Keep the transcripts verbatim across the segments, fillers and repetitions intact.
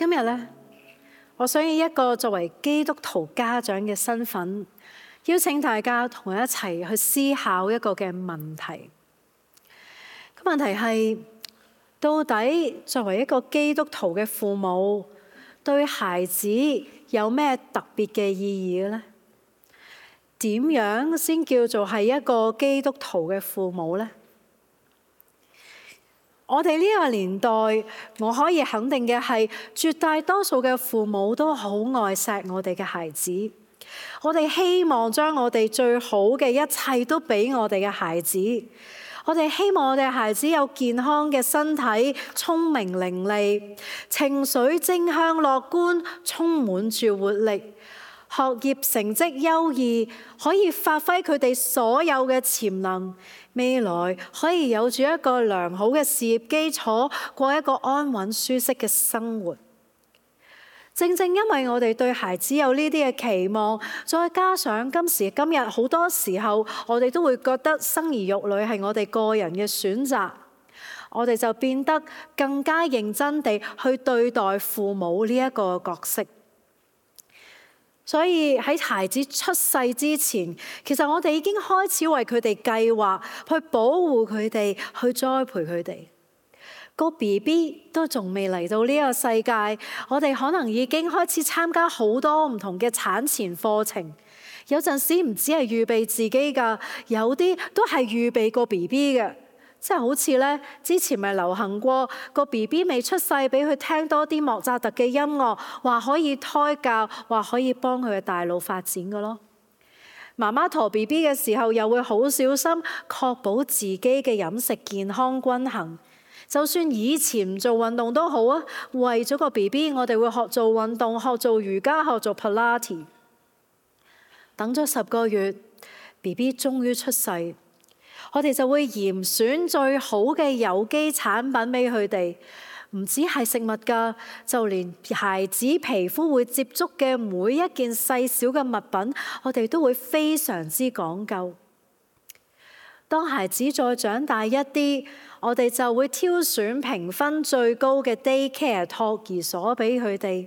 今日呢，我想以一個作為基督徒家長嘅身份，邀請大家同我一齊去思考一個嘅問題。個問題係，到底作為一個基督徒嘅父母，對孩子有咩特別嘅意義呢？點樣先叫做係一個基督徒嘅父母呢？我哋呢個年代，我可以肯定嘅係，絕大多數嘅父母都好愛錫我哋嘅孩子。我哋希望將我哋最好嘅一切都俾我哋嘅孩子。我哋希望我哋孩子有健康嘅身體，聰明伶俐，情緒正向樂觀，充滿住活力，學業成績優異，可以發揮佢哋所有嘅潛能，未來可以有住一個良好嘅事業基礎，過一個安穩舒適嘅生活。正正因為我哋對孩子有呢啲嘅期望，再加上今時今日好多時候，我哋都會覺得生兒育女係我哋個人嘅選擇，我哋就變得更加認真地去對待父母呢一個角色。所以喺孩子出世之前，其實我哋已經開始為佢哋計劃，去保護佢哋，去栽培佢哋。個 B B 都仲未嚟到呢個世界，我哋可能已經開始參加好多唔同嘅產前課程。有陣時唔止係預備自己㗎，有啲都係預備個 B B 嘅。即係好似咧，之前咪流行過個 B B 未出世，俾佢聽多啲莫扎特嘅音樂，話可以胎教，話可以幫佢嘅大腦發展嘅咯。媽媽陀 B B 嘅時候，又會好小心確保自己嘅飲食健康均衡。就算以前唔做運動都好啊，為咗個 B B， 我哋會學做運動，學做瑜伽，學做 Pilates。等咗十個月 ，B B 終於出世，我哋就會嚴選最好嘅有機產品俾佢哋。唔止係食物㗎，就連孩子皮膚會接觸嘅每一件細小嘅物品，我哋都會非常之講究。當孩子再長大一啲，我哋就會挑選評分最高嘅 daycare 托兒所俾佢哋。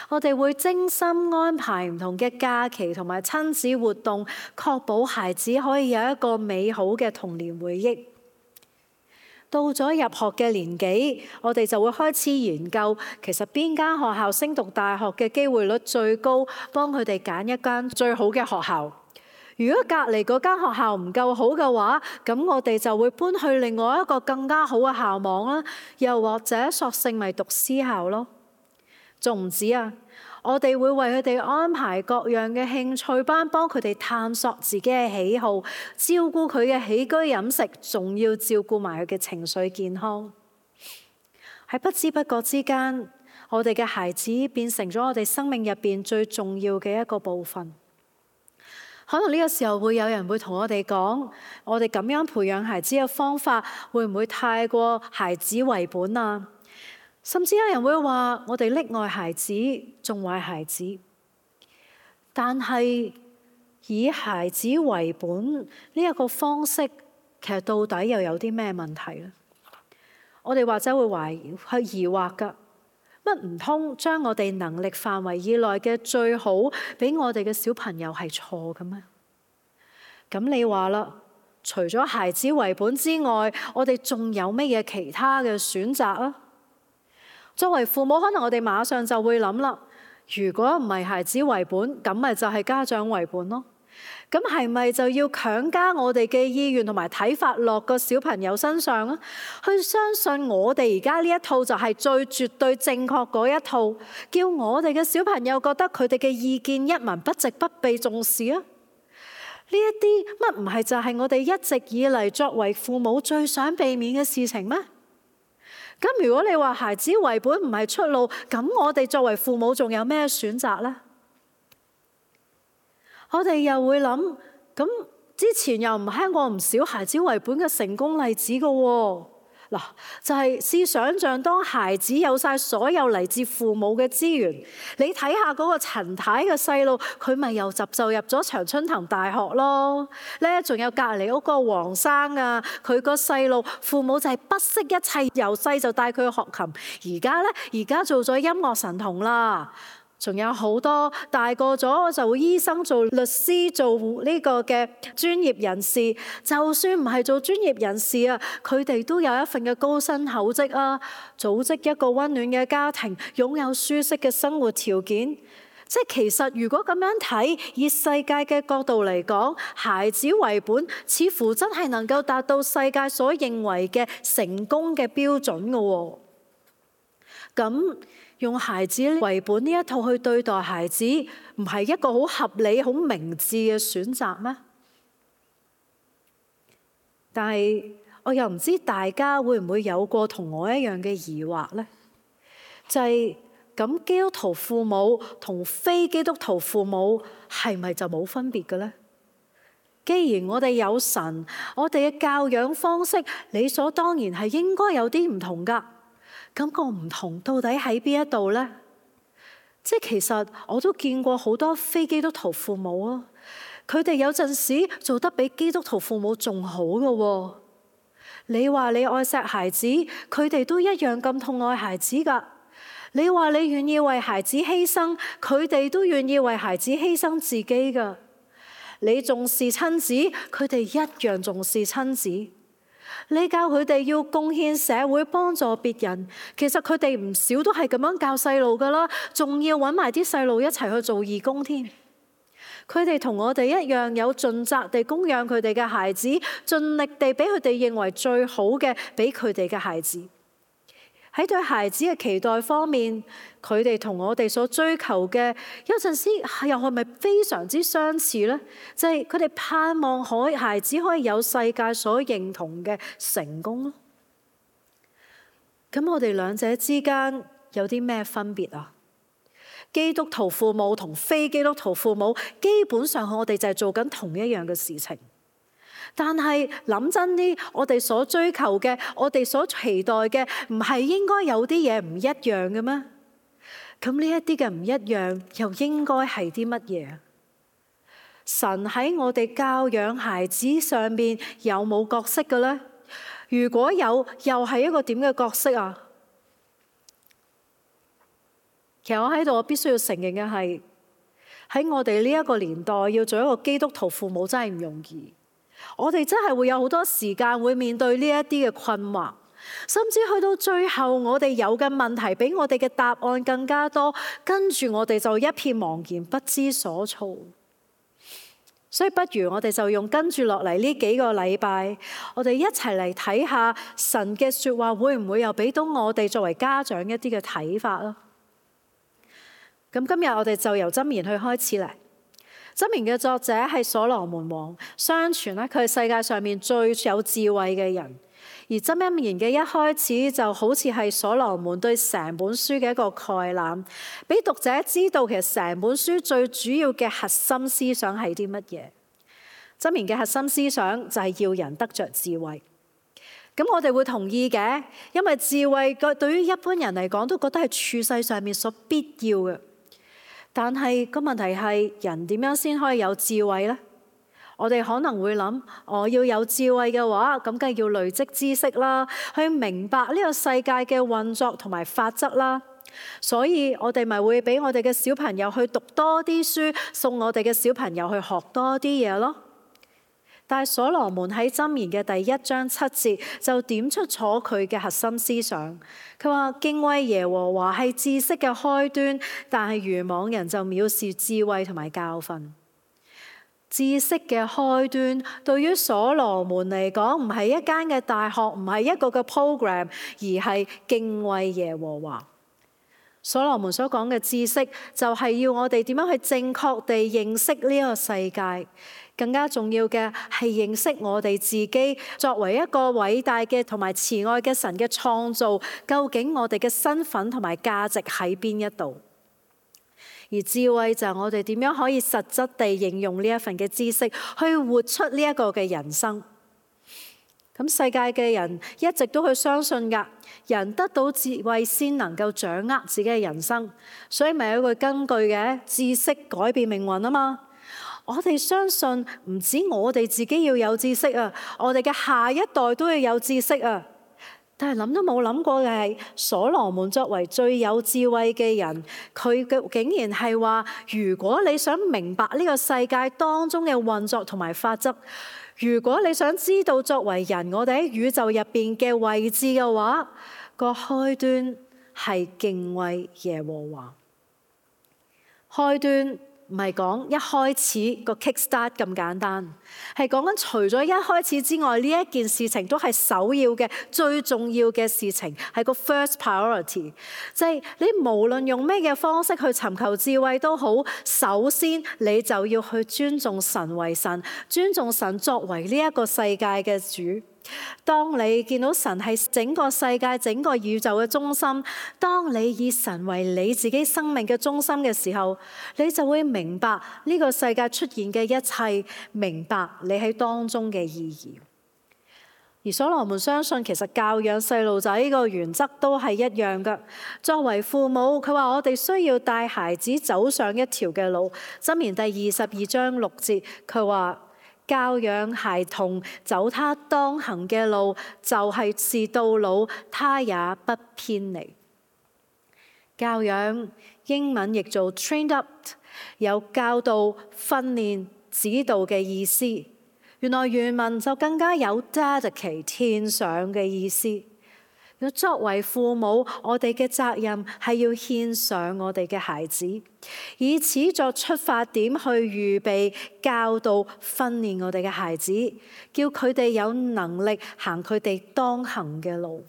我哋會精心安排唔同嘅假期同埋親子活動，確保孩子可以有一個美好嘅童年回憶。到咗入學嘅年紀，我哋就會開始研究，其實邊間學校升讀大學嘅機會率最高，幫佢哋揀一間最好嘅學校。如果隔離嗰間學校唔夠好嘅話，咁我哋就會搬去另外一個更加好嘅校網啦，又或者索性咪讀私校咯。仲唔止啊！我哋會為佢哋安排各樣嘅興趣班，幫佢哋探索自己嘅喜好，照顧佢嘅起居飲食，仲要照顧埋佢嘅情緒健康。喺不知不覺之間，我哋嘅孩子變成咗我哋生命入邊最重要嘅一個部分。可能呢個時候會有人會同我哋講，我哋咁樣培養孩子嘅方法會唔會太過孩子為本啊？甚至有人會話我哋溺愛孩子，縱壞孩子。但係以孩子為本呢一個方式，其實到底又有啲咩問題呢？我哋或者會懷疑、去疑惑㗎。乜唔通將我哋能力範圍以內嘅最好俾我哋嘅小朋友係錯嘅咩？咁你話啦，除咗孩子為本之外，我哋仲有乜嘢其他嘅選擇啊？作為父母，可能我哋馬上就會諗啦，如果唔係孩子為本，咁咪就係家長為本咯。咁係咪就要強加我哋嘅意願同埋睇法落個小朋友身上啊？去相信我哋而家呢一套就係最絕對正確嗰一套，叫我哋嘅小朋友覺得佢哋嘅意見一文不值，不被重視啊？呢一啲乜唔係就係我哋一直以嚟作為父母最想避免嘅事情咩？咁如果你話孩子為本唔係出路，咁我哋作為父母仲有咩選擇呢？我哋又會諗，咁之前又唔聽過唔少孩子為本嘅成功例子㗎喎。嗱，就係試想像當孩子有晒所有嚟自父母嘅資源，你睇下嗰個陳太嘅細路，佢咪又就就入咗長春藤大學咯。咧仲有隔離屋個黃生啊，佢個細路父母就係不惜一切，由細就帶佢去學琴。而家咧，而家做咗音樂神童啦。仲有好多大個咗做醫生、做律師、做呢個嘅專業人士，就算唔係做專業人士啊，佢哋都有一份嘅高薪厚職啊，組織一個溫暖嘅家庭，擁有舒適嘅生活條件。即係其實如果咁樣睇，以世界嘅角度嚟講，孩子為本，似乎真係能夠達到世界所認為嘅成功嘅標準嘅喎。咁用孩子為本呢一套去對待孩子，唔係一個好合理、好明智嘅選擇咩？但係我又唔知大家會唔會有過同我一樣嘅疑惑呢？就係咁，基督徒父母同非基督徒父母係咪就冇分別嘅呢？既然我哋有神，我哋嘅教養方式理所當然係應該有啲唔同㗎。咁個唔同到底喺邊一度呢？即係其實我都見過好多非基督徒父母啊，佢哋有陣時做得比基督徒父母仲好嘅喎。你話你愛錫孩子，佢哋都一樣咁痛愛孩子㗎。你話你願意為孩子犧牲，佢哋都願意為孩子犧牲自己㗎。你重視親子，佢哋一樣重視親子。你教佢哋要貢獻社會、幫助別人，其實佢哋唔少都係咁樣教細路噶啦，仲要揾埋啲細路一齊去做義工添。佢哋同我哋一樣，有盡責地供養佢哋嘅孩子，盡力地俾佢哋認為最好嘅俾佢哋嘅孩子。喺對孩子嘅期待方面，佢哋同我哋所追求嘅有陣時又係咪非常之相似呢？就係佢哋盼望可孩子可以有世界所認同嘅成功咯。咁我哋兩者之間有啲咩分別啊？基督徒父母同非基督徒父母，基本上我哋就係做緊同一樣嘅事情。但係諗真啲，我哋所追求嘅，我哋所期待嘅，唔係應該有啲嘢唔一樣嘅咩？咁呢一啲嘅唔一樣，又應該係啲乜嘢？神喺我哋教養孩子上面有冇角色嘅呢？如果有，又係一個點嘅角色啊？其實我喺度，我必須要承認嘅係，喺我哋呢一個年代，要做一個基督徒父母真係唔容易。我哋真係會有好多時間會面對呢一啲嘅困惑，甚至去到最後，我哋有嘅問題比我哋嘅答案更加多，跟住我哋就一片茫然不知所措。所以不如我哋就用跟住落嚟呢幾個禮拜，我哋一齊嚟睇下神嘅說話會唔會又俾到我哋作為家長一啲嘅睇法咯。咁今日我哋就由箴言去開始嚟。箴言嘅作者係所羅門王，相傳咧佢係世界上面最有智慧嘅人。而箴言嘅一開始就好似係所羅門對成本書嘅一個概覽，俾讀者知道其實成本書最主要嘅核心思想係啲乜嘢。箴言嘅核心思想就係要人得着智慧。咁我哋會同意嘅，因為智慧對於一般人嚟講都覺得係處世上面所必要嘅。但係個問題係，人點樣先可以有智慧呢？我哋可能會諗，我要有智慧嘅話，咁梗係要累積知識啦，去明白呢個世界嘅運作同埋法則啦。所以我哋咪會俾我哋嘅小朋友去讀多啲書，送我哋嘅小朋友去學多啲嘢咯。但係所羅門喺箴言嘅第一章七節就點出咗佢嘅核心思想。佢話敬畏耶和華係知識嘅開端，但係愚妄人就藐視智慧同埋教訓。知識嘅開端對於所羅門嚟講，唔係一間嘅大學，唔係一個嘅 program， 而係敬畏耶和華。所羅門所講嘅知識就係要我哋點樣去正確地認識呢個世界。更加重要嘅係認識我哋自己作為一個偉大嘅同埋慈愛嘅神嘅創造，究竟我哋嘅身份同埋價值喺邊一度？而智慧就係我哋點樣可以實質地應用呢一份嘅知識，去活出呢一個嘅人生。咁世界嘅人一直都去相信㗎，人得到智慧先能夠掌握自己嘅人生，所以咪有一個根據嘅，知識改變命運啊嘛。我哋相信唔止我哋自己要有知識啊，我哋嘅下一代都要有知識啊。但係諗都冇諗過嘅係，所羅門作為最有智慧嘅人，佢嘅竟然係話：如果你想明白呢個世界當中嘅運作同埋法則，如果你想知道作為人我哋喺宇宙入邊嘅位置嘅話，個開端係敬畏耶和華。開端唔係講一開始個 kick start 咁簡單，係講緊除咗一開始之外，呢一件事情都係首要嘅、最重要嘅事情，係個 first priority。即係你無論用咩嘅方式去尋求智慧都好，首先你就要去尊重神為神，尊重神作為呢一個世界嘅主。當你見到神係整個世界、整個宇宙嘅中心，當你以神為你自己生命嘅中心嘅時候，你就會明白呢個世界出現嘅一切，明白你喺當中嘅意義。而所羅門相信，其實教養細路仔呢個原則都係一樣㗎。作為父母，佢話我哋需要帶孩子走上一條嘅路。箴言第二十二章六節，佢話：教養孩童走他當行嘅路，就係是到老，他也不偏離。教養英文譯做 trained up， 有教導、訓練、指導嘅意思。原來原文就更加有 dedicate 獻上嘅意思。作為父母，我哋嘅責任係要獻上我哋嘅孩子，以此作出發點去預備、教導、訓練我哋嘅孩子，叫佢哋有能力行佢哋當行嘅路。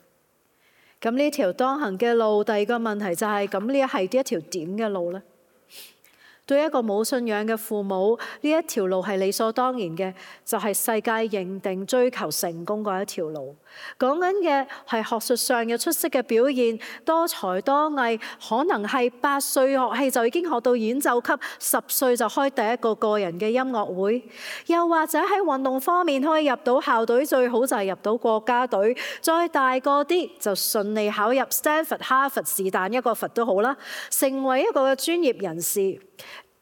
咁呢條當行嘅路，第二個問題就係、是，咁呢係一條點嘅路呢？對一個冇信仰嘅父母，呢一條路係理所當然嘅，就係世界認定追求成功嗰一條路。講緊嘅係學術上嘅出色嘅表現，多才多藝，可能係八歲學戲就已經學到演奏級，十歲就開第一個個人嘅音樂會，又或者喺運動方面可以入到校隊，最好就係入到國家隊，再大個啲就順利考入 Stanford、哈佛是但一個佛都好啦，成為一個嘅專業人士。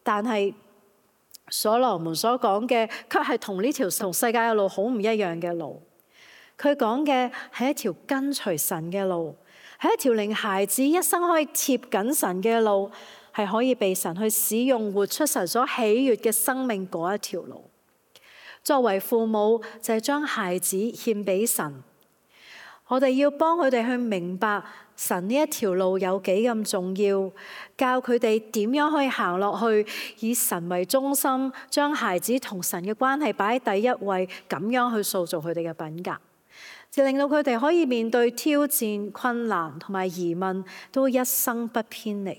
但係所羅門所講嘅，卻係同呢條同世界嘅路好唔一樣嘅路。佢講嘅係一條跟隨神嘅路，係一條令孩子一生可以貼緊神嘅路，係可以被神去使用，活出神所喜悅嘅生命嗰一條路。作為父母，就係將孩子獻俾神。我哋要幫佢哋去明白神呢一條路有幾咁重要，教佢哋點樣可以行落去，以神為中心，將孩子同神嘅關係擺喺第一位，咁樣去塑造佢哋嘅品格，就令到佢哋可以面對挑戰、困難同埋疑問，都一生不偏離。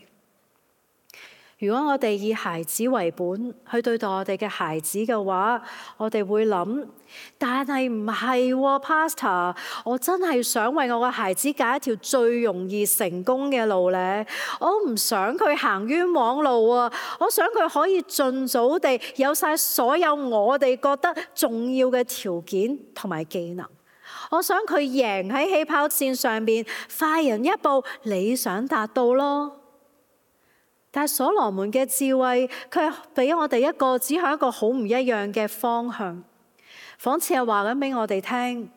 如果我哋以孩子為本去對待我哋嘅孩子嘅話，我哋會諗，但係唔係喎 Pastor， 我真係想為我嘅孩子揀一條最容易成功嘅路咧，我唔想佢行冤枉路啊，我想佢可以盡早地有晒所有我哋覺得重要嘅條件同埋技能，我想佢贏喺起跑線上邊，快人一步，理想達到咯。但係所羅門嘅智慧，佢係俾我哋一個指向一個好唔一樣嘅方向，仿似係話緊俾我哋聽。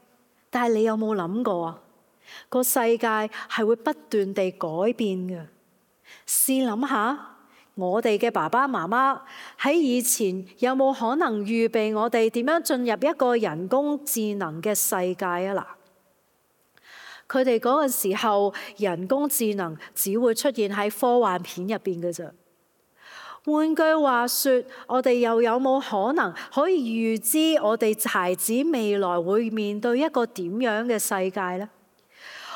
但係你有冇諗過啊？個世界係會不斷地改變嘅。試諗下，我哋嘅爸爸媽媽喺以前有冇可能預備我哋點樣進入一個人工智能嘅世界啊？嗱。佢哋嗰個時候，人工智能只會出現喺科幻片入邊嘅啫。換句話說，我哋又有冇可能可以預知我哋孩子未來會面對一個點樣嘅世界呢？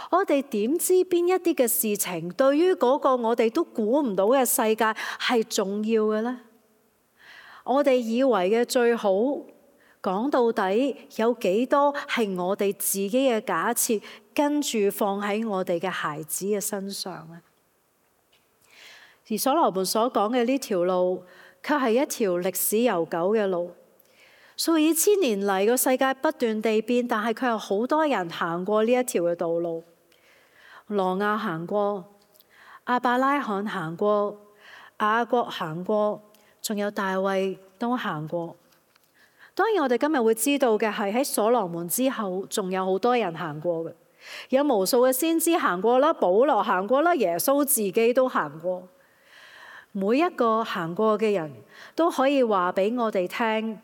我哋點知邊一啲嘅事情對於嗰個我哋都估唔到嘅世界係重要嘅呢？我哋以為嘅最好，講到底有幾多係我哋自己嘅假設，跟住放喺我哋嘅孩子嘅身上呢？而所羅門所講嘅呢條路，卻係一條歷史悠久嘅路。數以千年嚟，個世界不斷地變，但係佢有好多人行過呢一條嘅道路。挪亞行過，亞伯拉罕行過，雅各行過，仲有大衛都行過。當然我哋今日會知道嘅係喺所羅門之後，仲有好多人行過嘅，有無數嘅先知行過啦，保羅行過啦，耶穌自己都行過。每一個行過嘅人都可以話俾我哋聽，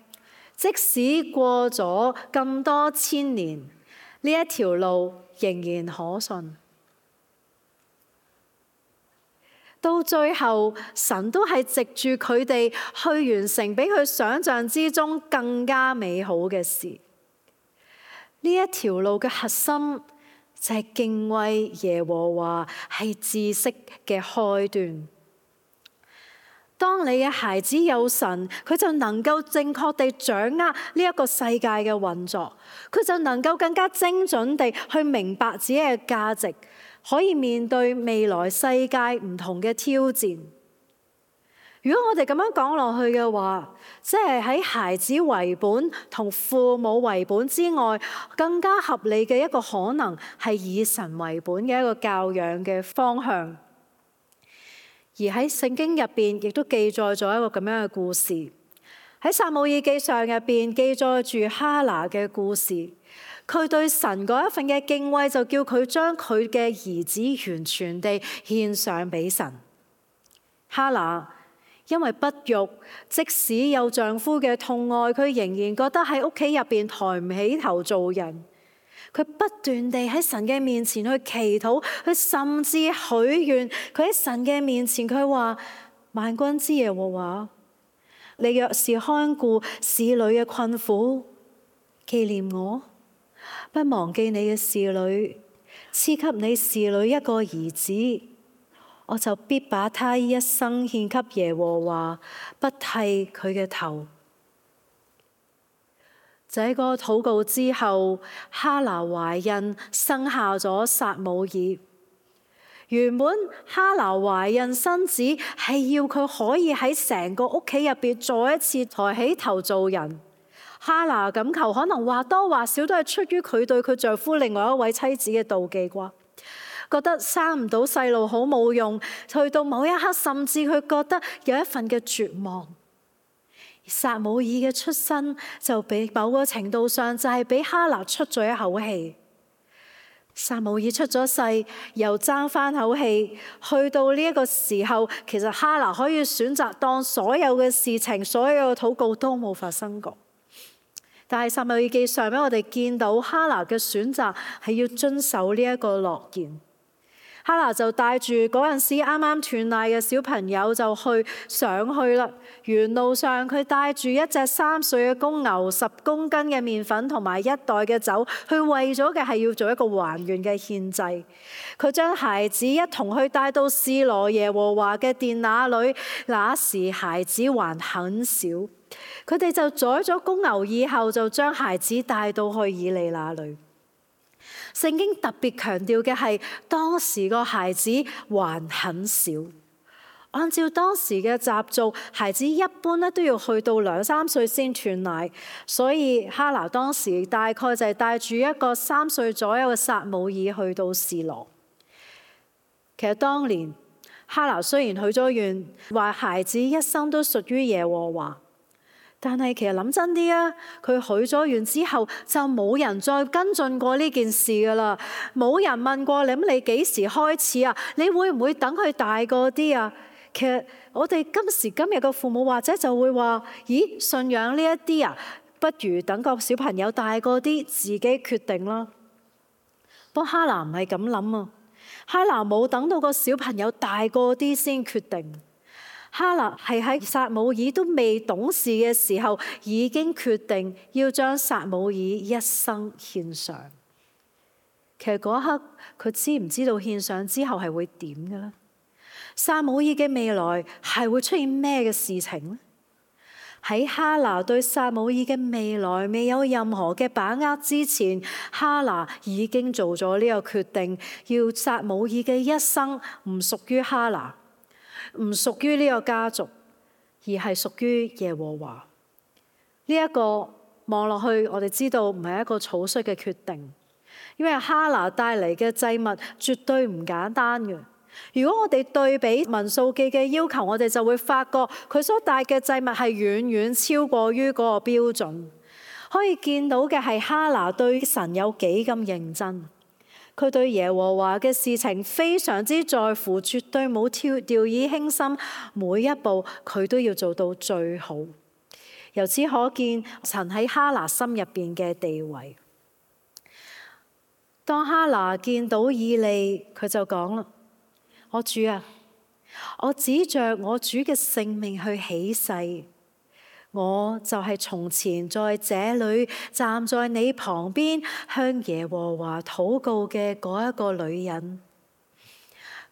即使過咗咁多千年，呢一條路仍然可信。到最後，神都係藉住佢哋去完成比佢想象之中更加美好嘅事。呢一條路嘅核心就係敬畏耶和華，係知識嘅開端。當你嘅孩子有神，佢就能夠正確地掌握呢一個世界嘅運作，佢就能夠更加精準地去明白自己嘅價值，可以面對未來世界唔同嘅挑戰。如果我哋咁樣講落去嘅話，即係喺孩子為本同父母為本之外，更加合理嘅一個可能係以神為本嘅一個教養嘅方向。而喺聖經入邊亦都記載咗一個咁樣嘅故事，喺撒母耳記上入邊記載住哈拿嘅故事。佢對神嗰一份嘅敬畏，就叫佢將佢嘅兒子完全地獻上俾神。哈拿因為不育，即使有丈夫嘅痛愛，佢仍然覺得喺屋企入邊抬唔起頭做人。佢不斷地喺神嘅面前去祈禱，佢甚至許願。佢喺神嘅面前，佢話：萬軍之耶和華，你若是看顧使女嘅困苦，紀念我，不忘記你嘅使女，賜給你使女一個兒子，我就必把他一生獻給耶和華，不剃佢嘅頭。這個禱告之後，哈拿懷孕，生下咗撒母耳。原本哈拿懷孕生子係要佢可以喺成個屋企入邊再一次抬起頭做人。哈拿咁求，可能或多或少都係出於佢對佢丈夫另外一位妻子嘅妒忌啩，覺得生唔到細路好冇用，去到某一刻甚至佢覺得有一份嘅絕望。撒母耳嘅出生就俾某個程度上就係俾哈拿出咗一口氣。撒母耳出咗世，又爭翻口氣，去到呢一個時候，其實哈拿可以選擇當所有嘅事情、所有嘅禱告都冇發生過。但係撒母耳記上俾我哋見到哈拿嘅選擇係要遵守呢一個諾言。哈拿就帶住嗰陣時啱啱斷奶嘅小朋友就去上去啦。沿路上佢帶住一隻三歲嘅公牛、十公斤嘅麵粉同埋一袋嘅酒，佢為咗嘅係要做一個還願嘅獻祭。佢將孩子一同去帶到示羅耶和華嘅殿那裏，那時孩子還很小。佢哋就宰咗公牛以後，就將孩子帶到去以利那裏。聖經特別強調嘅係當時個孩子還很小，按照當時嘅習俗，孩子一般咧都要去到兩三歲先斷奶，所以哈拿當時大概就係帶住一個三歲左右嘅撒母耳去到示羅。其實當年哈拿雖然許咗願，話孩子一生都屬於耶和華。但係其實諗真啲啊，佢許咗願之後就冇人再跟進過呢件事噶啦，冇人問過你，咁你幾時開始啊？你會唔會等佢大個啲啊？其實我哋今時今日嘅父母或者就會話：咦，信仰呢一啲啊，不如等個小朋友大個啲自己決定啦。不過哈拿唔係咁諗啊，哈拿冇等到個小朋友大個啲先決定。哈拿係喺撒母耳都未懂事嘅時候，已經決定要將撒母耳一生獻上。其實嗰一刻佢知唔知道獻上之後係會點嘅呢？撒母耳嘅未來係會出現咩嘅事情呢？喺哈拿對撒母耳嘅未來未有任何嘅把握之前，哈拿已經做咗呢個決定，要撒母耳嘅一生唔屬於哈拿，唔屬於呢個家族，而係屬於耶和華。呢、這、一個望落去，我哋知道唔係一個草率嘅決定，因為哈拿帶嚟嘅祭物絕對唔簡單嘅。如果我哋對比民數記嘅要求，我哋就會發覺佢所帶嘅祭物係遠遠超過於嗰個標準。可以見到嘅係哈拿對神有幾咁認真，佢對耶和華嘅事情非常之在乎，絕對冇跳掉以輕心，每一步佢都要做到最好。由此可見神喺哈拿心入邊嘅地位。當哈拿見到以利，佢就講啦：我主啊，我指着我主嘅性命去起誓，我就係從前在這裏站在你旁邊向耶和華禱告嘅嗰一個女人。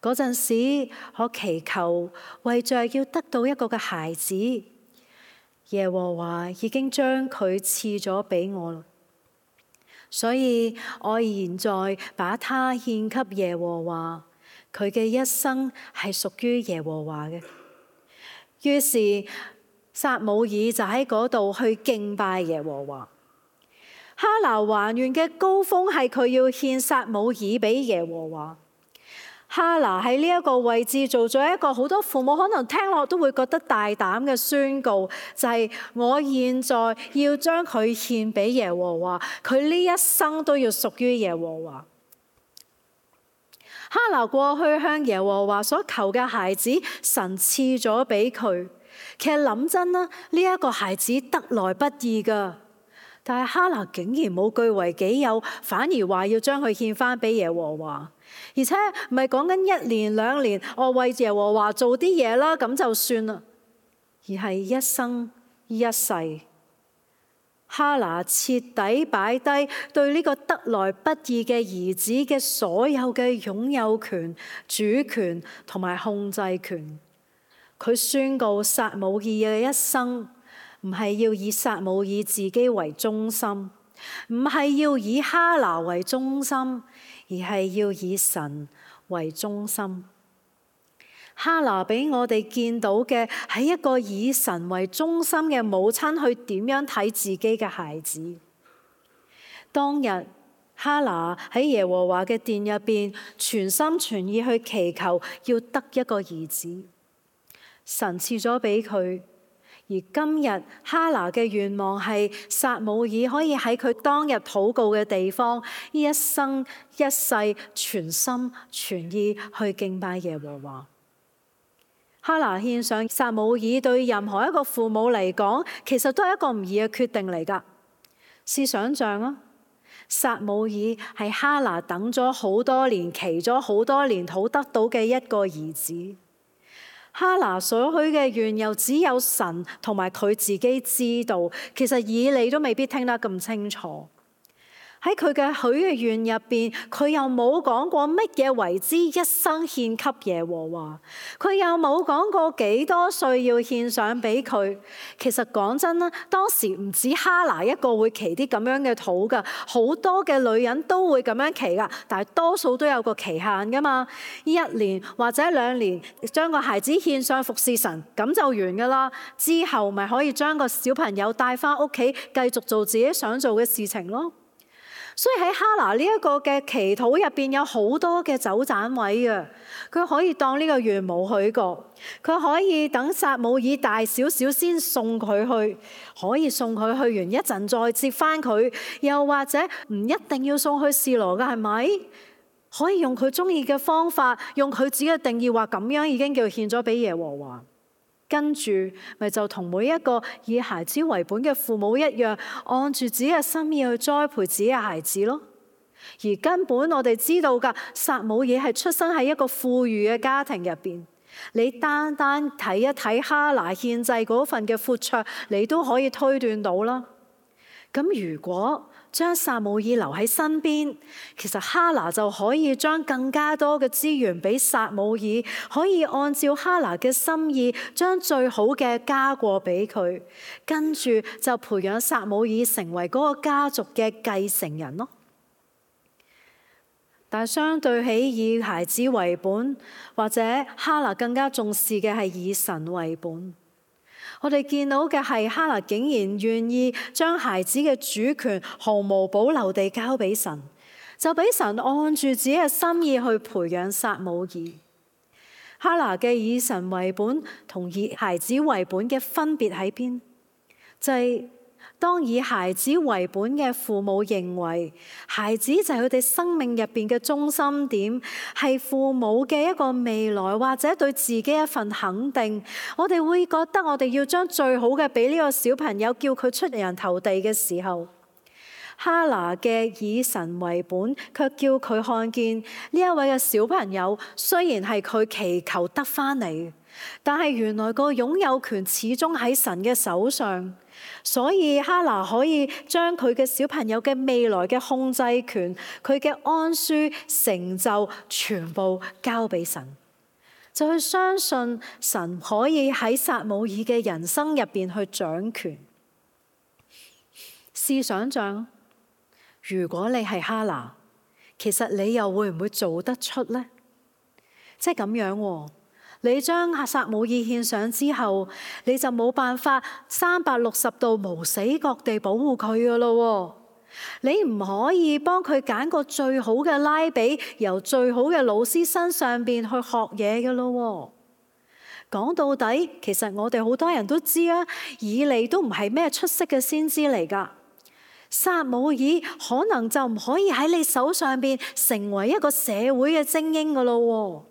嗰陣時，我祈求為着要得到一個嘅孩子，耶和華已經將佢賜咗俾我啦，所以我現在把他獻給耶和華，佢嘅一生係屬於耶和華嘅。於是撒母耳就喺嗰度去敬拜耶和華。哈拿還願嘅高峰係佢要獻撒母耳俾耶和華。哈拿喺呢一個位置做咗一個好多父母可能聽落都會覺得大膽嘅宣告，就係、是、我現在要將佢獻俾耶和華，佢呢一生都要屬於耶和華。哈拿過去向耶和華所求嘅孩子，神賜咗俾佢。其實諗真啦，呢一個孩子得來不易噶，但係哈拿竟然冇據為己有，反而話要將佢獻翻俾耶和華，而且唔係講緊一年兩年，我為耶和華做啲嘢啦，咁就算啦，而係一生一世。哈拿徹底擺低對呢個得來不易嘅兒子嘅所有嘅擁有權、主權同埋控制權。佢宣告撒母耳嘅一生唔係要以撒母耳自己為中心，唔係要以哈拿為中心，而係要以神為中心。哈拿俾我哋見到嘅係一個以神為中心嘅母親去點樣睇自己嘅孩子。當日哈拿喺耶和華嘅殿入邊全心全意去祈求要得一個兒子，神賜咗俾佢。而今日哈拿嘅願望係撒母耳可以喺佢當日禱告嘅地方，一生一世全心全意去敬拜耶和華。哈拿獻上撒母耳對任何一個父母嚟講，其實都係一個唔易嘅決定嚟㗎。試想像啊，撒母耳係哈拿等咗好多年、祈咗好多年討得到嘅一個兒子。哈拿所許嘅願又只有神同埋佢自己知道，其實以利都未必聽得咁清楚。喺佢嘅許嘅願入邊，佢又冇講過乜嘢為之一生獻給耶和華，佢又冇講過幾多歲要獻上俾佢。其實講真啦，當時唔止哈拿一個會祈啲咁樣嘅禱噶，好多嘅女人都會咁樣祈噶，但係多數都有個期限噶嘛，一年或者兩年將個孩子獻上服侍神，咁就完噶啦。之後咪可以將個小朋友帶翻屋企，繼續做自己想做嘅事情咯。所以喺哈拿呢一個嘅祈禱入邊有好多嘅走盞位嘅，佢可以當呢個願冇許過，佢可以等撒母耳大少少先送佢去，可以送佢去完一陣再接翻佢，又或者唔一定要送去示羅嘅，係咪？可以用佢中意嘅方法，用佢自己嘅定義話咁樣已經叫獻咗俾耶和華。跟住咪就同每一個以孩子為本嘅父母一樣，按住自己嘅心意去栽培自己嘅孩子咯。而根本我哋知道㗎，撒母耳係出生喺一個富裕嘅家庭入邊。你單單睇一睇哈拿獻祭嗰份嘅闊綽，你都可以推斷到啦。咁如果將撒母耳留喺身邊，其實哈拿就可以將更加多嘅資源俾撒母耳，可以按照哈拿嘅心意，將最好嘅加過俾佢，跟住就培養撒母耳成為嗰個家族嘅繼承人咯。但係相對起以孩子為本，或者哈拿更加重視嘅係以神為本。我哋見到嘅係哈拿竟然願意將孩子嘅主權毫無保留地交俾神，就俾神按住自己嘅心意去培養撒母耳。哈拿嘅以神為本同以孩子為本嘅分別喺邊？就係、是、當以孩子為本嘅父母認為孩子就係佢哋生命入邊嘅中心點，係父母嘅一個未來或者對自己一份肯定，我哋會覺得我哋要將最好嘅俾呢個小朋友，叫佢出人頭地嘅時候，哈拿嘅以神為本，卻叫佢看見呢一位嘅小朋友雖然係佢祈求得返嚟，但係原來個擁有權始終喺神嘅手上。所以哈拿可以將佢嘅小朋友嘅未來嘅控制權、佢嘅安舒成就全部交俾神，就去相信神可以喺撒母耳嘅人生入邊去掌權。試想像，如果你係哈拿，其實你又會唔會做得出呢？即係咁樣喎。你將撒母耳獻上之後，你就冇辦法三百六十度無死角地保護佢噶咯。你唔可以幫佢揀個最好嘅拉比，由最好嘅老師身上邊去學嘢噶咯。講到底，其實我哋好多人都知啊，以利都唔係咩出色嘅先知嚟噶。撒母耳可能就唔可以喺你手上邊成為一個社會嘅精英噶咯。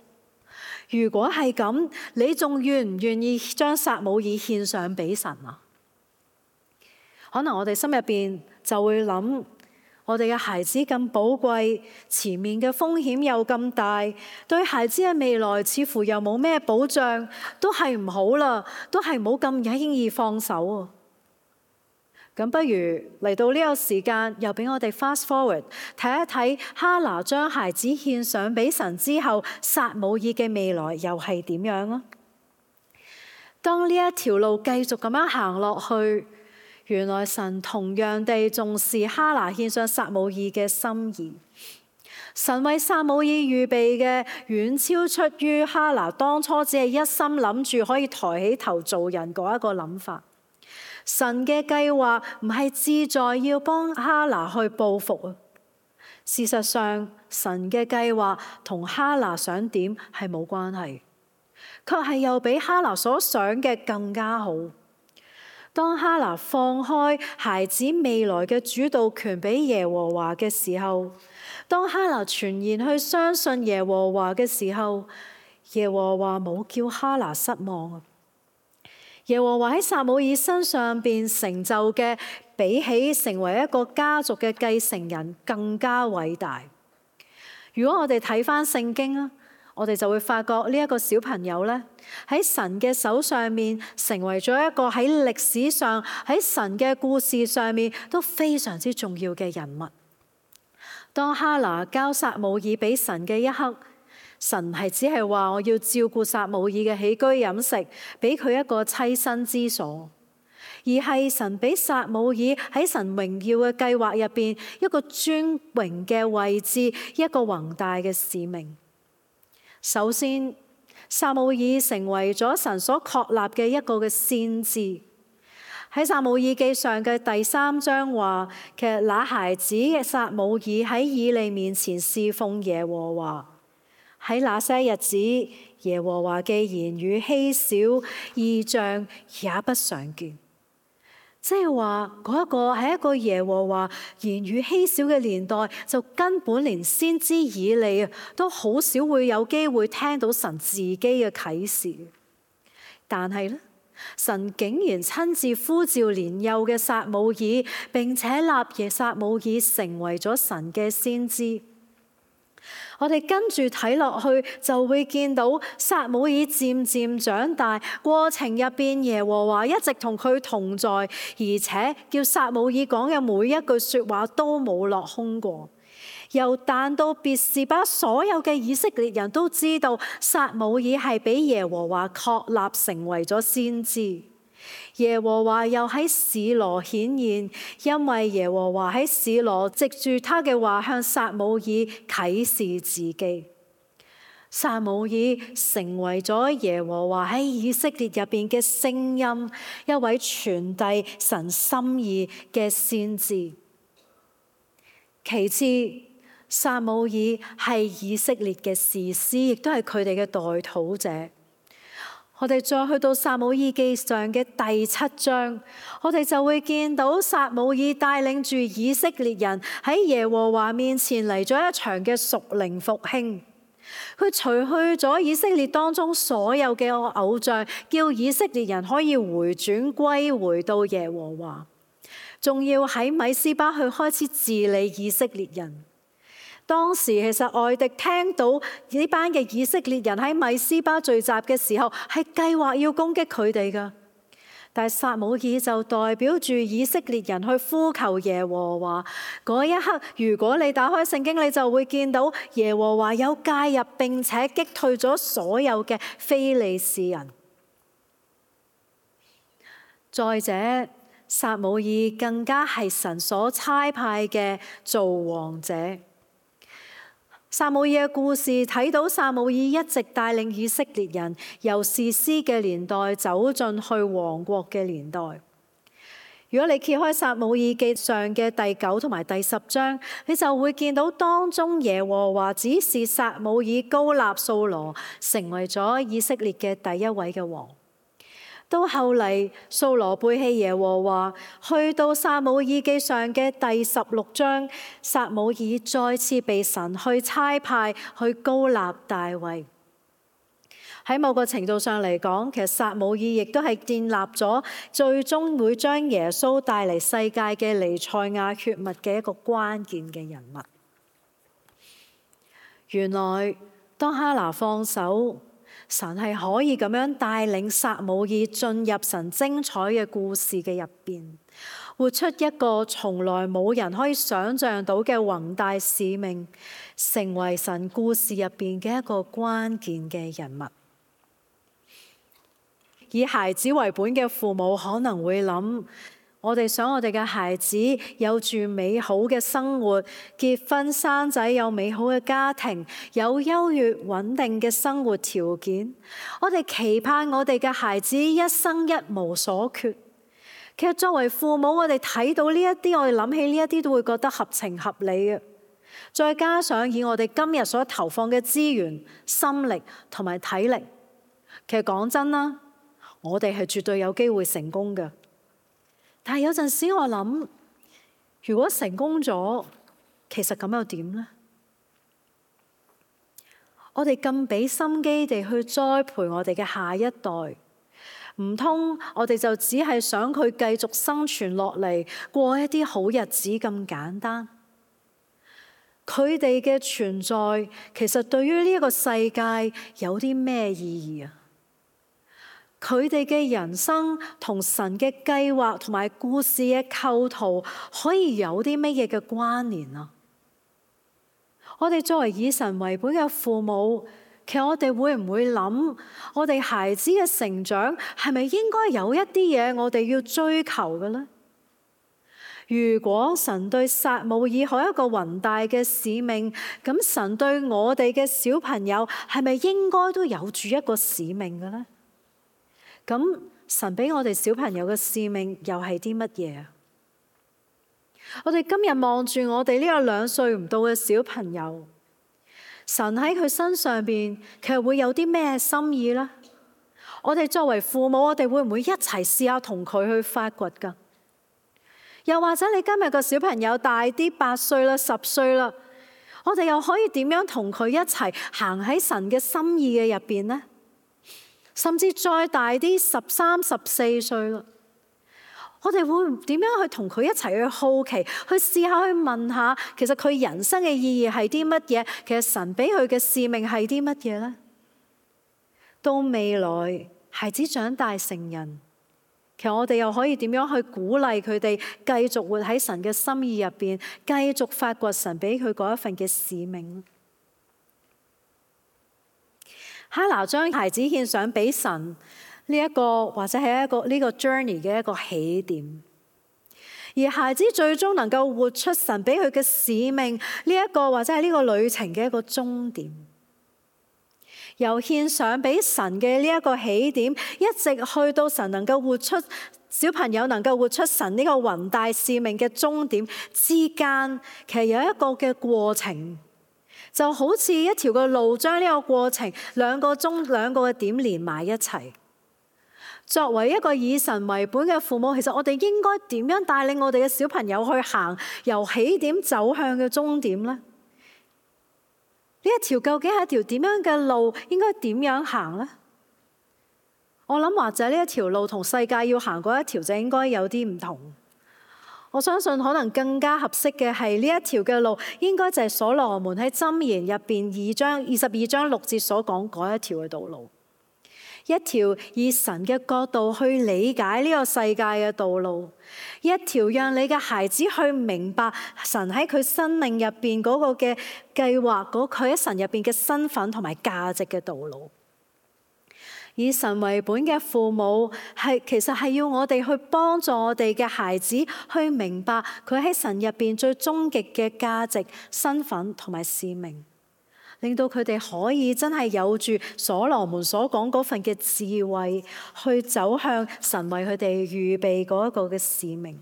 如果係咁，你仲願唔願意將撒母耳獻上俾神啊？可能我哋心入邊就會諗，我哋嘅孩子咁寶貴，前面嘅風險又咁大，對孩子嘅未來似乎又冇咩保障，都係唔好啦，都係唔好咁輕易放手啊！咁不如嚟到呢個時間，又俾我哋 fast forward 睇一睇哈拿將孩子獻上俾神之後，撒母耳嘅未來又係點樣啊？當呢一條路繼續咁樣行落去，原來神同樣地重視哈拿獻上撒母耳嘅心意。神為撒母耳預備嘅遠超出於哈拿當初只係一心諗住可以抬起頭做人嗰一個諗法。神嘅計劃唔係志在要幫哈拿去報復啊！事實上，神嘅計劃同哈拿想點係冇關係，卻係又比哈拿所想嘅更加好。當哈拿放開孩子未來嘅主導權俾耶和華嘅時候，當哈拿全然去相信耶和華嘅時候，耶和華冇叫哈拿失望啊！耶和華喺撒母耳身上邊成就嘅，比起成為一個家族嘅繼承人更加偉大。如果我哋睇返聖經啊，我哋就會發覺呢一個小朋友咧，喺神嘅手上面成為咗一個喺歷史上喺神嘅故事上面都非常之重要嘅人物。當哈拿交撒母耳俾神嘅一刻，神係只係話我要照顧撒母耳嘅起居飲食，俾佢一個棲身之所，而係神俾撒母耳喺神榮耀嘅計劃入邊一個尊榮嘅位置，一個宏大嘅使命。首先，撒母耳成為咗神所確立嘅一個嘅先知。喺撒母耳記上嘅第三章話，其實那孩子嘅撒母耳喺以利面前侍奉耶和華。喺那些日子，耶和華嘅言語稀少，異象也不常見。即係話嗰一個喺一個耶和華言語稀少嘅年代，就根本連先知以利都好少會有機會聽到神自己嘅啟示。但係咧，神竟然親自呼召年幼嘅撒母耳，並且立耶撒母耳成為咗神嘅先知。我哋跟住睇落去，就會見到撒母耳漸漸長大，過程入邊耶和華一直同佢同在，而且叫撒母耳講嘅每一句說話都冇落空過。由但到別是巴，所有嘅以色列人都知道撒母耳係俾耶和華確立成為咗先知。耶和華又喺示羅顯現，因為耶和華喺示羅藉住他嘅話向撒母耳啟示自己。撒母耳成為咗耶和華喺以色列入邊嘅聲音，一位傳遞神心意嘅先知。其次，撒母耳係以色列嘅士師，亦都係佢哋嘅代禱者。我哋再去到撒母耳記上嘅第七章，我哋就會見到撒母耳帶領住以色列人喺耶和華面前嚟咗一場嘅屬靈復興。佢除去咗以色列當中所有嘅偶像，叫以色列人可以回轉歸回到耶和華，仲要喺米斯巴去開始治理以色列人。當時其實外敵聽到呢班嘅以色列人喺米斯巴聚集嘅時候，係計劃要攻擊佢哋㗎。但係撒母耳就代表住以色列人去呼求耶和華。嗰一刻，如果你打開聖經，你就會見到耶和華有介入，並且擊退咗所有嘅非利士人。再者，撒母耳更加係神所差派嘅做王者。撒母耳嘅故事睇到撒母耳一直帶領以色列人由士師嘅年代走進去王國嘅年代。如果你揭開撒母耳記上嘅第九同埋第十章，你就會見到當中耶和華指示撒母耳膏立掃羅成為咗以色列嘅第一位嘅王。到後嚟，掃羅背棄耶和華，去到撒母耳記上嘅第十六章，撒母耳再次被神去差派去膏立大衛。喺某個程度上嚟講，其實撒母耳亦都係建立咗最終會將耶穌帶嚟世界嘅彌賽亞血脈嘅一個關鍵嘅人物。原來當哈拿放手，神係可以咁樣帶領撒母耳進入神精彩嘅故事嘅入邊，活出一個從來冇人可以想象到嘅宏大使命，成為神故事入邊嘅一個關鍵嘅人物。以孩子為本嘅父母可能會諗，我哋想我哋嘅孩子有住美好嘅生活，結婚生仔，有美好嘅家庭，有優越穩定嘅生活條件。我哋期盼我哋嘅孩子一生一無所缺。其實作為父母，我哋睇到呢一啲，我哋諗起呢一啲都會覺得合情合理嘅。再加上以我哋今日所投放嘅資源、心力同埋體力，其實講真啦，我哋係絕對有機會成功嘅。但係有陣時我諗，如果成功咗，其實咁又點呢？我哋咁俾心機地去栽培我哋嘅下一代，唔通我哋就只係想佢繼續生存落嚟，過一啲好日子咁簡單？佢哋嘅存在其實對於呢個世界有啲咩意義啊？佢哋嘅人生同神嘅計劃同埋故事嘅構圖可以有啲乜嘢嘅關聯啊？我哋作為以神為本嘅父母，其實我哋會唔會諗，我哋孩子嘅成長係咪應該有一啲嘢我哋要追求嘅呢？如果神對撒母耳有一個宏大嘅使命，咁神對我哋嘅小朋友係咪應該都有住一個使命嘅呢？咁神俾我哋小朋友嘅使命又係啲乜嘢啊？我哋今日望住我哋呢個兩歲唔到嘅小朋友，神喺佢身上邊其實會有啲咩心意呢？我哋作為父母，我哋會唔會一齊試下同佢去發掘㗎？又或者你今日個小朋友大啲，八歲啦、十歲啦，我哋又可以點樣同佢一齊行喺神嘅心意嘅入邊呢？甚至再大啲，十三、十四歲啦，我哋會點樣去同佢一齊去好奇，去試下去問下，其實佢人生嘅意義係啲乜嘢？其實神俾佢嘅使命係啲乜嘢呢？到未來孩子長大成人，其實我哋又可以點樣去鼓勵佢哋繼續活喺神嘅心意入邊，繼續發掘神俾佢嗰一份嘅使命？哈拿將孩子獻上俾神呢一個，或者係一個呢個 journey 嘅一個起點，而孩子最終能夠活出神俾佢嘅使命呢一個，或者係呢個旅程嘅一個終點。由獻上俾神嘅呢一個起點，一直去到神能夠活出小朋友能夠活出神呢個宏大使命嘅終點之間，其實有一個嘅過程，就好似一條嘅路將呢個過程兩個鐘兩個嘅點連埋一齊。作為一個以神為本嘅父母，其實我哋應該點樣帶領我哋嘅小朋友去行由起點走向嘅終點呢？呢一條究竟係一條點樣嘅路，應該點樣行呢？我諗或者呢一條路同世界要行嗰一條就應該有啲唔同。我相信可能更加合適嘅係呢一條嘅路，應該就係所羅門喺箴言入邊二章二十二章六節所講嗰一條嘅道路，一條以神嘅角度去理解呢個世界嘅道路，一條讓你嘅孩子去明白神喺佢生命入邊嗰個嘅計劃，嗰佢喺神入邊嘅身份同埋價值嘅道路。以神為本嘅父母係其實係要我哋去幫助我哋嘅孩子去明白佢喺神入邊最終極嘅價值、身份同埋使命，令到佢哋可以真係有住所羅門所講嗰份嘅智慧，去走向神為佢哋預備嗰一個嘅使命。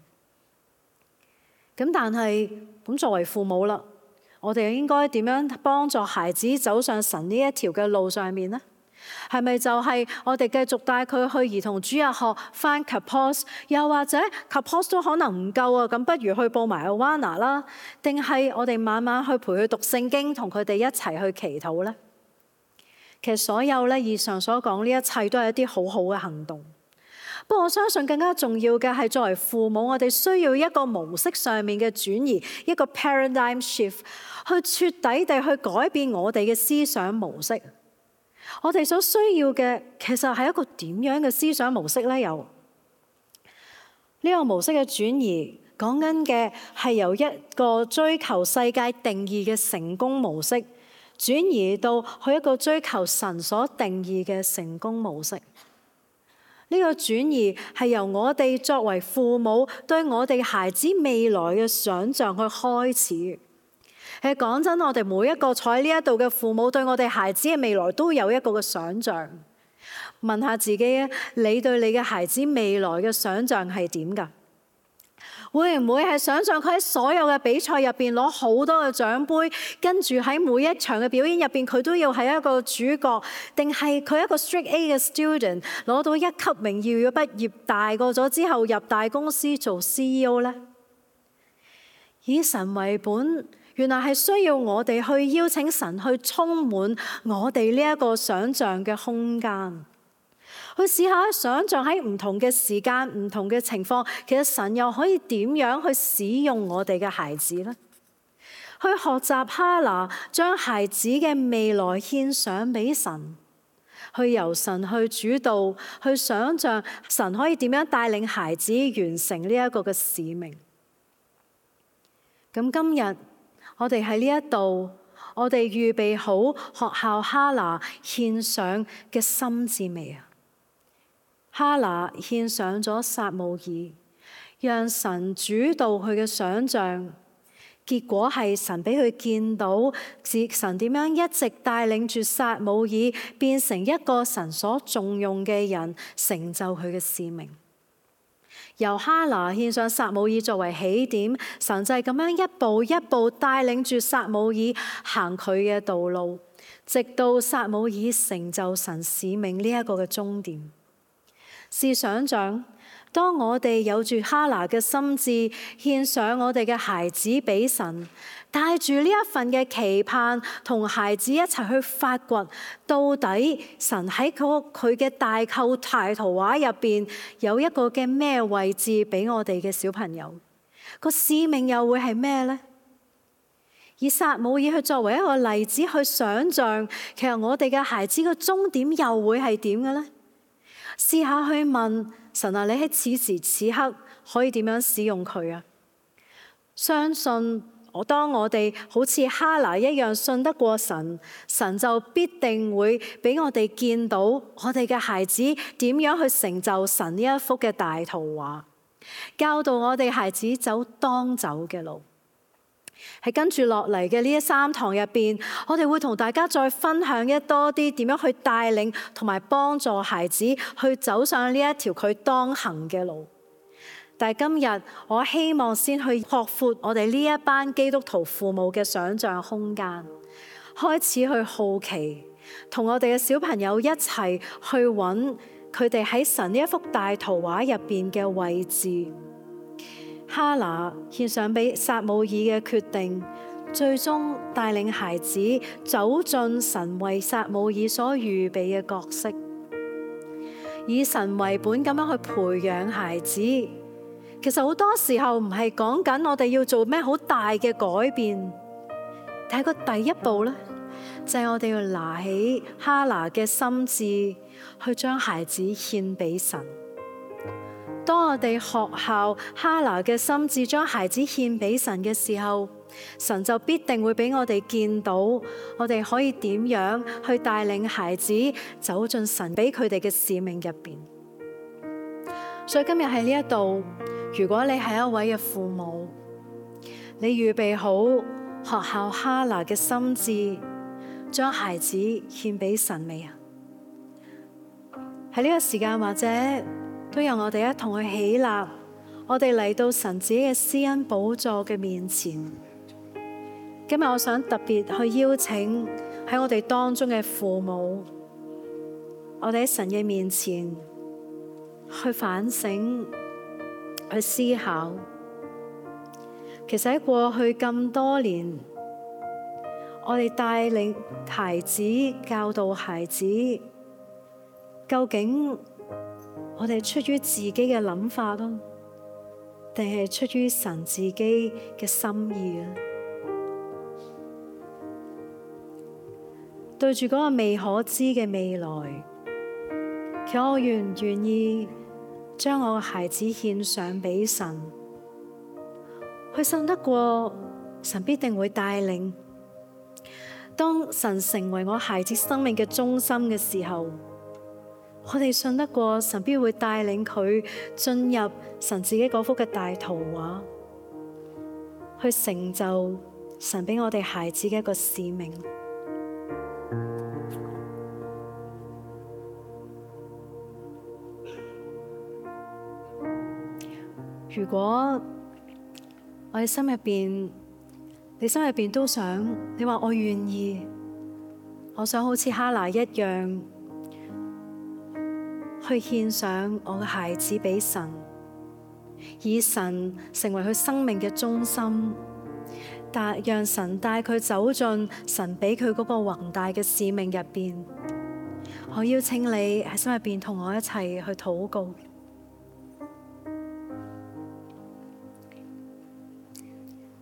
咁但係咁作為父母啦，我哋應該點樣幫助孩子走上神呢一條嘅路上面呢？係咪就係我哋繼續帶佢去兒童主日學返 Kapos， 又或者 Kapos 都可能唔夠啊？咁不如去報埋 Awana 啦？定係我哋慢慢去陪佢讀聖經，同佢哋一齊去祈禱呢？其實所有咧以上所講呢一切都係一啲好好嘅行動。不過我相信更加重要嘅係作為父母，我哋需要一個模式上面嘅轉移，一個 paradigm shift， 去徹底地去改變我哋嘅思想模式。我哋所需要嘅其實係一個點樣嘅思想模式呢？有呢個模式嘅轉移，講緊嘅係由一個追求世界定義嘅成功模式，轉移到去一個追求神所定義嘅成功模式。呢個轉移係由我哋作為父母對我哋孩子未來嘅想像去開始。其實講真，我哋每一個坐喺呢一度嘅父母，對我哋孩子嘅未來都有一個嘅想像。問下自己啊，你對你嘅孩子未來嘅想像係點㗎？會唔會係想像佢喺所有嘅比賽入邊攞好多嘅獎杯，跟住喺每一場嘅表演入邊佢都要係一個主角？定係佢一個 straight A 嘅 student 攞到一級榮譽嘅畢業，大個咗之後入大公司做 C E O 呢？以神為本，原來係需要我哋去邀請神去充滿我哋呢一個想像嘅空間，去試下想像喺唔同嘅時間、唔同嘅情況，其實神又可以點樣去使用我哋嘅孩子呢？去學習哈拿將孩子嘅未來獻上俾神，去由神去主導，去想像神可以點樣帶領孩子完成呢一個嘅使命。咁今日我哋喺呢一度，我哋預備好學校哈拿獻上嘅心志未啊？哈拿獻上咗撒母耳，讓神主導佢嘅想像，結果係神俾佢見到神點樣一直帶領住撒母耳變成一個神所重用嘅人，成就佢嘅使命。由哈拿獻上撒母耳作為起點，神就係咁樣一步一步帶領住撒母耳行佢嘅道路，直到撒母耳成就神使命呢一個嘅終點。試想像，當我哋有住哈拿嘅心志，獻上我哋嘅孩子俾神，帶住呢一份嘅期盼，同孩子一齊去發掘，到底神喺佢嘅大構大圖畫入邊有一個嘅咩位置俾我哋嘅小朋友？個使命又會係咩呢？以撒母耳去作為一個例子去想像，其實我哋嘅孩子嘅終點又會係點嘅呢？試下去問神啊，你喺此時此刻可以點樣使用佢啊？相信我，當我哋好似哈拿一樣信得過神，神就必定會俾我哋見到我哋嘅孩子點樣去成就神呢一幅嘅大圖畫，教導我哋孩子走當走嘅路。喺跟住落嚟嘅呢三堂入邊，我哋會同大家再分享一多啲點樣去帶領同埋幫助孩子去走上呢一條佢當行嘅路。但係今日我希望先去擴闊我哋呢一班基督徒父母嘅想像空間，開始去好奇，同我哋嘅小朋友一齊去揾佢哋喺神呢一幅大圖畫入邊嘅位置。哈拿獻上俾撒母耳嘅決定，最終帶領孩子走進神為撒母耳所預備嘅角色，以神為本咁樣去培養孩子。其實好多時候唔係講緊我哋要做咩好大嘅改變，但係個第一步呢，就係我哋要拿起哈拿嘅心志，去將孩子獻俾神。當我哋學效哈拿嘅心志，將孩子獻俾神嘅時候，神就必定會俾我哋見到，我哋可以點樣去帶領孩子走進神俾佢哋嘅使命入邊。所以今日喺呢一度，如果你係一位嘅父母，你預備好學效哈拿嘅心志，將孩子獻俾神未啊？喺呢個時間，或者都由我哋一同去起立，我哋嚟到神自己嘅施恩寶座嘅面前。今日我想特別去邀請喺我哋當中嘅父母，我哋喺神嘅面前去反省、去思考。其實喺過去咁多年，我哋帶領孩子、教導孩子，究竟我哋出於自己嘅諗法咯，定係出於神自己嘅心意啊？對住嗰個未可知嘅未來，其實我願唔願意將我嘅孩子獻上俾神？佢信得過神必定會帶領。當神成為我孩子生命嘅中心嘅時候，我哋信得過神必會帶領佢進入神自己嗰幅嘅大圖畫，去成就神俾我哋孩子嘅一個使命。如果我哋心入邊，你心入邊都想，你話我願意，我想好似哈拿一樣，去獻上我嘅孩子俾神，以神成為佢生命嘅中心，但讓神帶佢走進神俾佢嗰個宏大嘅使命入邊。我邀請你喺心入邊同我一齊去禱告。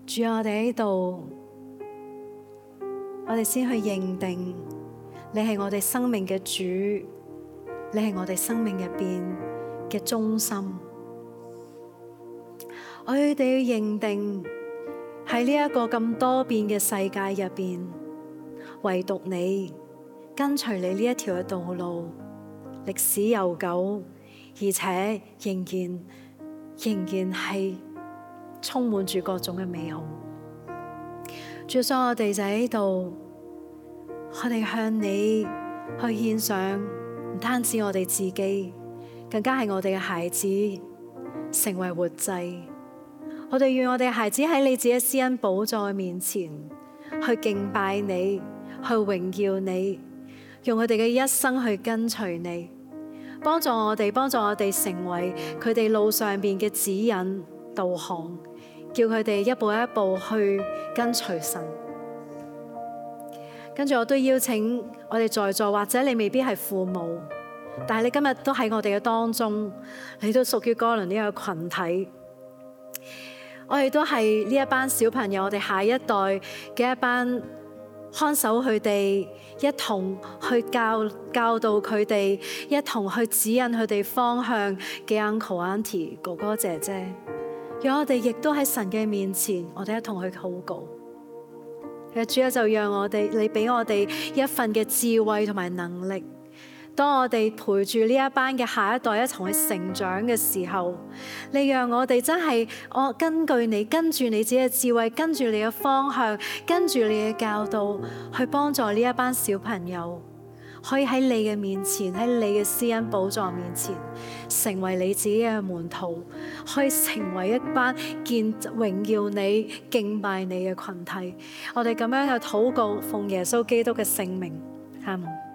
主，我哋喺度，我哋先去認定你係我哋生命嘅主，你係我哋生命入邊嘅中心。我哋要認定喺呢一個咁多變嘅世界入邊，唯獨你跟隨你呢一條嘅道路，歷史悠久，而且仍然仍然係充滿住各種嘅美好。主，所以我哋就喺度，我哋向你去獻上，唔單止我哋自己，更加係我哋嘅孩子成為活祭。我哋願我哋嘅孩子喺你自己施恩寶座嘅面前去敬拜你，去榮耀你，用佢哋嘅一生去跟隨你，幫助我哋，幫助我哋成為佢哋路上邊嘅指引導航，叫佢哋一步一步去跟隨神。跟住我都邀請我哋在座，或者你未必係父母，但係你今日都喺我哋嘅當中，你都屬於哥倫呢個群體。我哋都係呢一班小朋友，我哋下一代嘅一班看守佢哋，一同去教教導佢哋，一同去指引佢哋方向嘅 uncle auntie 哥哥姐姐。讓我哋亦都喺神嘅面前，我哋一同去禱告。主啊，就讓我哋，你俾我哋一份嘅智慧同埋能力，當我哋陪住呢一班嘅下一代一齊去成長嘅時候，你讓我哋真係我根據你，跟住你自己嘅智慧，跟住你嘅方向，跟住你嘅教導，去幫助呢一班小朋友，可以喺你嘅面前，喺你嘅施恩寶座面前，成為你自己嘅門徒，可以成為一班見榮耀你、敬拜你嘅群體。我哋咁樣嘅禱告，奉耶穌基督嘅聖名，阿門。